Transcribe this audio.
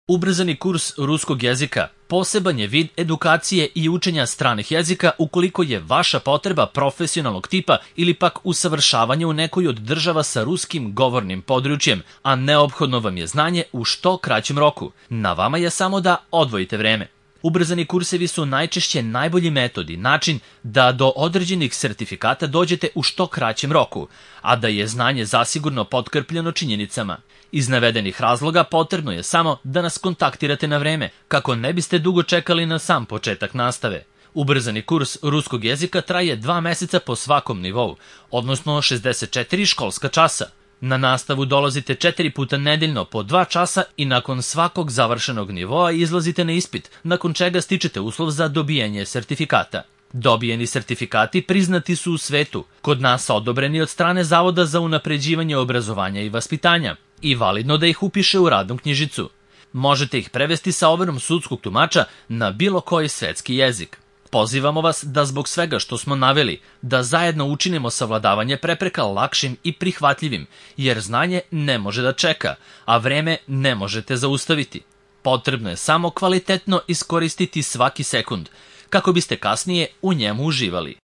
Ubrzani kurs ruskog jezika poseban je vid edukacije i učenja stranih jezika ukoliko je vaša potreba profesionalnog tipa ili pak usavršavanje u nekoj od država sa ruskim govornim područjem, a neophodno vam je znanje u što kraćem roku. Na vama je samo da odvojite vreme. Ubrzani kursevi su najčešće najbolji metod i način da do određenih sertifikata dođete u što kraćem roku, a da je znanje zasigurno potkrpljeno činjenicama. Iz navedenih razloga potrebno je samo da nas kontaktirate na vreme, kako ne biste dugo čekali na sam početak nastave. Ubrzani kurs ruskog jezika traje 2 meseca po svakom nivou, odnosno 64 školska časa. Na nastavu dolazite 4 puta nedeljno po 2 časa i nakon svakog završenog nivoa izlazite na ispit, nakon čega stičete uslov za dobijanje sertifikata. Dobijeni sertifikati priznati su u svetu, kod nas odobreni od strane Zavoda za unapređivanje obrazovanja i vaspitanja i validno da ih upiše u radnu knjižicu. Možete ih prevesti sa overom sudskog tumača na bilo koji svetski jezik. Pozivamo vas da zbog svega što smo naveli, da zajedno učinimo savladavanje prepreka lakšim i prihvatljivim, jer znanje ne može da čeka, a vreme ne možete zaustaviti. Potrebno je samo kvalitetno iskoristiti svaki sekund, kako biste kasnije u njemu uživali.